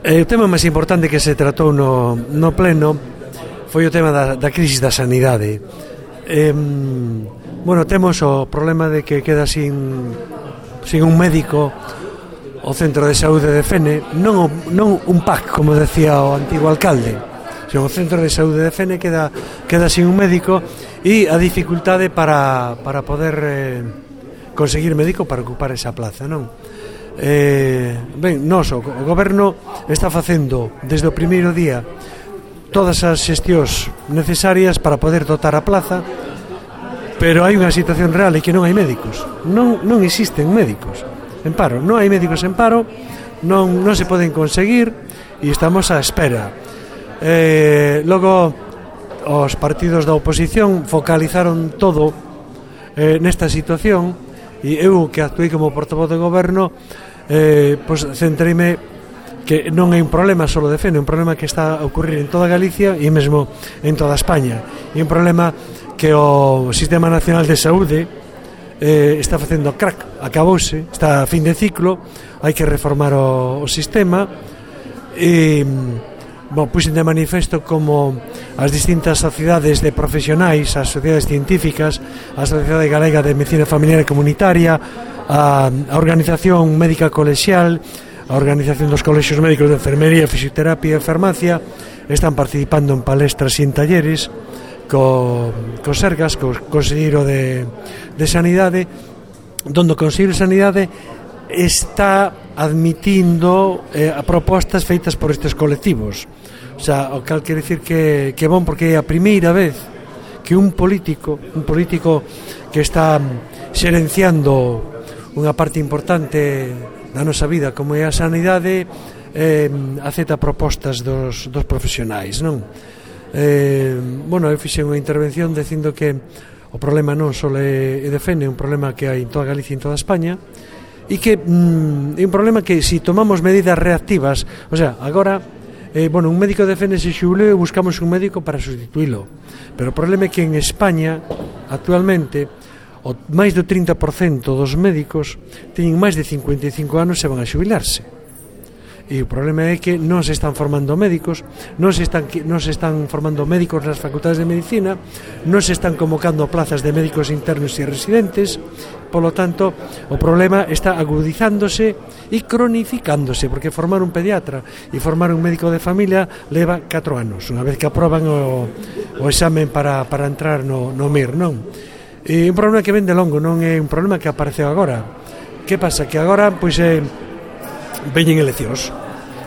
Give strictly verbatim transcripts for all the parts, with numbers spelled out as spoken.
Eh, o tema máis importante que se tratou no, no pleno foi o tema da, da crisis da sanidade. Eh, bueno, temos o problema de que queda sin, sin un médico o Centro de Saúde de Fene, non, o, non un P A C, como decía o antigo alcalde, sino o Centro de Saúde de Fene queda, queda sin un médico, e a dificultade para, para poder eh, conseguir médico para ocupar esa plaza, non? Eh, ben, nos, o, o goberno está facendo desde o primeiro día todas as xestións necesarias para poder dotar a plaza, pero hai unha situación real e que non hai médicos, non, non existen médicos en paro, non hai médicos en paro, non, non se poden conseguir e estamos á espera. Eh, logo os partidos da oposición focalizaron todo eh, nesta situación, e eu, que actuei como portavoz do goberno, eh, pois centreime que non é un problema só de Fene, é un problema que está a ocurrir en toda Galicia e mesmo en toda España, e un problema que o Sistema Nacional de Saúde eh, está facendo crack, acabouse, está a fin de ciclo, hai que reformar o, o sistema, e bon, puxen de manifesto como as distintas sociedades de profesionais, as sociedades científicas, a Sociedade Galega de Medicina Familiar e Comunitaria, a, a Organización Médica Colexial, a Organización dos Colexios Médicos de Enfermería, Fisioterapia e Farmacia, están participando en palestras e en talleres co, co Sergas, co Conselleiro de, de Sanidade, donde o Conselleiro de Sanidade está admitindo eh, a propostas feitas por estes colectivos. O sea, o cal quere dicir que, que bon, porque é a primeira vez que un político, un político que está xerenciando unha parte importante da nosa vida como é a sanidade, eh, acepta propostas dos, dos profesionais, non? Eh, bueno, eu fixe unha intervención dicindo que o problema non só é de Fene, é un problema que hai en toda Galicia e en toda España, e que mm, é un problema que se si tomamos medidas reactivas, o sea, agora eh, bueno, un médico de Fene se xulou e buscamos un médico para sustituílo, pero o problema é que en España actualmente o máis do trinta por cento dos médicos teñen máis de cincuenta e cinco anos e van a xubilarse. E o problema é que non se están formando médicos, non se están, non se están formando médicos nas facultades de medicina, non se están convocando plazas de médicos internos e residentes. Polo tanto, o problema está agudizándose e cronificándose, porque formar un pediatra e formar un médico de familia leva catro anos, unha vez que aproban o, o examen para, para entrar no, no M I R, non? E un problema que ven de longo, non é un problema que apareceu agora. Que pasa? Que agora, pois, eh, veñen eleccións.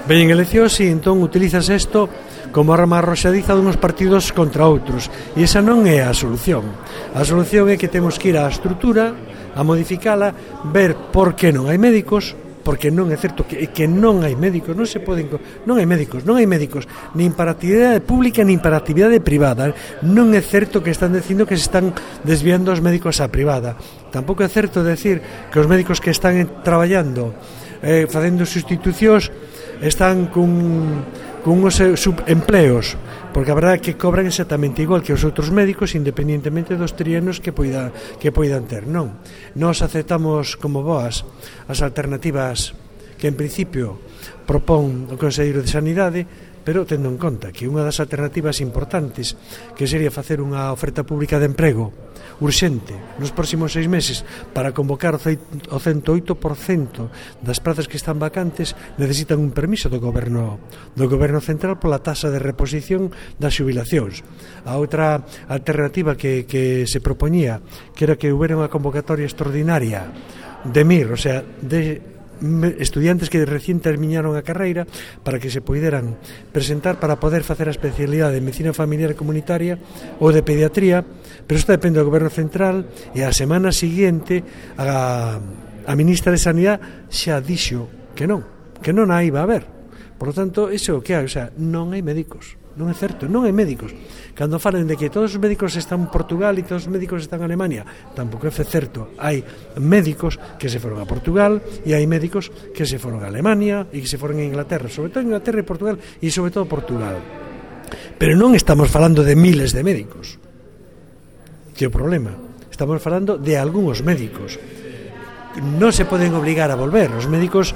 Veñen eleccións e entón utilizas isto como arma arroxadiza dunhos partidos contra outros. E esa non é a solución. A solución é que temos que ir á estrutura, a modificala, ver por que non hai médicos, porque non é certo que, que non hai médicos, non se poden, non hai médicos, non hai médicos, nin para actividade pública nin para actividade privada. Non é certo que están dicindo que se están desviando os médicos á privada. Tampouco é certo decir que os médicos que están traballando eh, facendo sustitucións están cun, cun os subempleos, porque a verdade é que cobran exactamente igual que os outros médicos, independentemente dos trianos que poida, que poidan ter. Non, nós aceptamos como boas as alternativas que en principio propón o Conselleiro de Sanidade, pero tendo en conta que unha das alternativas importantes que sería facer unha oferta pública de emprego urxente nos próximos seis meses para convocar o cento e oito por cento das prazas que están vacantes, necesitan un permiso do goberno do goberno central pola taxa de reposición das xubilacións. A outra alternativa que, que se propoñía, que era que houbera unha convocatoria extraordinaria de M I R, o sea, de estudiantes que recién terminaron a carreira, para que se poideran presentar para poder facer a especialidade de medicina familiar e comunitaria ou de pediatría, pero isto depende do goberno central, e a semana seguinte a, a ministra de Sanidade xa dixo que non, que non a iba a haber. Por lo tanto, iso é o que hai, o sea, non hai médicos. Non é certo, non hai médicos. Cando falan de que todos os médicos están en Portugal e todos os médicos están en Alemania, tampouco é certo. Hai médicos que se foron a Portugal e hai médicos que se foron a Alemania e que se foron a Inglaterra, sobre todo Inglaterra e Portugal, e sobre todo Portugal. Pero non estamos falando de miles de médicos, que é o problema. Estamos falando de algúns médicos. Non se poden obligar a volver. Os médicos,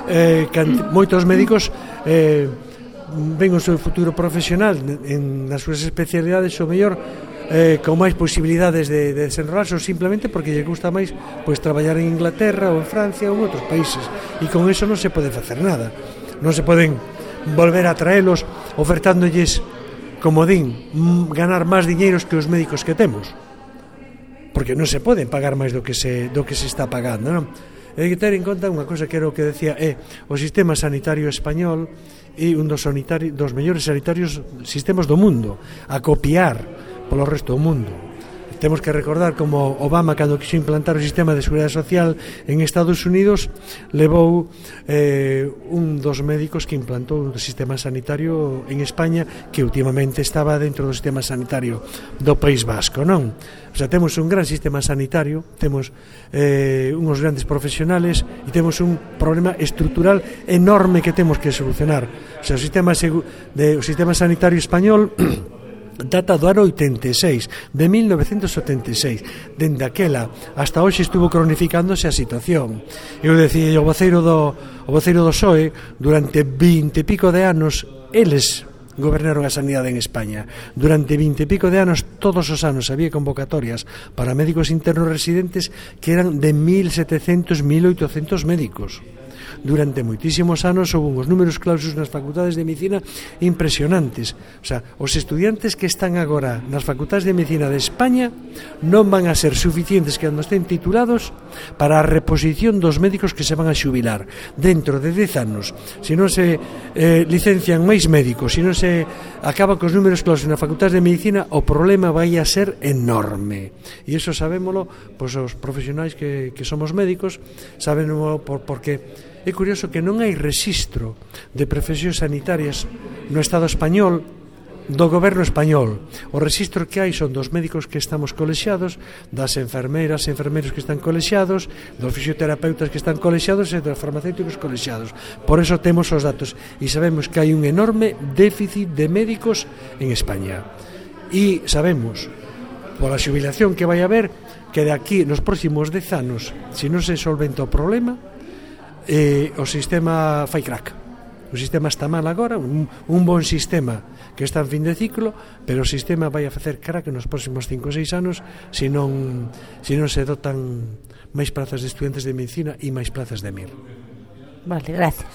eh, moitos médicos eh, ven o seu futuro profesional en, nas súas especialidades, o mellor eh, con máis posibilidades de, de desenrolarse, ou simplemente porque lle gusta máis pois traballar en Inglaterra ou en Francia ou en outros países, e con eso non se pode facer nada, non se poden volver a traelos ofertándolles, como din, ganar máis diñeiros que os médicos que temos, porque non se poden pagar máis do que se, do que se está pagando, non? Hai que ter en conta unha cosa que era o que decía, é o sistema sanitario español e un dos, sanitari, dos mellores sanitarios sistemas do mundo, a copiar polo resto do mundo. Temos que recordar como Obama, cando quiso implantar o sistema de seguridade social en Estados Unidos, levou eh, un dos médicos que implantou o sistema sanitario en España, que últimamente estaba dentro do sistema sanitario do País Vasco, non? O sea, temos un gran sistema sanitario, temos eh, uns grandes profesionales e temos un problema estrutural enorme que temos que solucionar. O sea, o sistema, de, o sistema sanitario español data do ano oitenta e seis, de mil novecentos setenta e seis. Dende aquela hasta hoxe estuvo cronificándose a situación. Eu decía, o voceiro do, o voceiro do P S O E, durante vinte e pico de anos, eles gobernaron a sanidade en España. Durante vinte e pico de anos, todos os anos había convocatorias para médicos internos residentes que eran de mil setecentos, mil oitocentos médicos. Durante moitísimos anos houve uns números clausus nas facultades de medicina impresionantes. O sea, os estudiantes que están agora nas facultades de medicina de España non van a ser suficientes cando estén titulados para a reposición dos médicos que se van a xubilar dentro de dez anos. Se non se eh, licencian máis médicos, se non se acaban cos números clausus nas facultades de medicina, o problema vai a ser enorme. E iso sabémolo, pois os profesionais que, que somos médicos, sabémolo por, porque é curioso que non hai rexistro de profesións sanitarias no Estado español do goberno español. O rexistro que hai son dos médicos que estamos colexiados, das enfermeiras e enfermeiros que están colexiados, dos fisioterapeutas que están colexiados e dos farmacéuticos colexiados. Por eso temos os datos e sabemos que hai un enorme déficit de médicos en España. E sabemos, pola xubilación que vai haber, que de aquí nos próximos dez anos, se non se solventa o problema, Eh, o sistema fai crack. O sistema está mal agora, un, un bon sistema que está en fin de ciclo, pero o sistema vai a facer crack nos próximos cinco ou seis anos se non, se non se dotan máis plazas de estudiantes de medicina e máis plazas de M I R. Vale, gracias.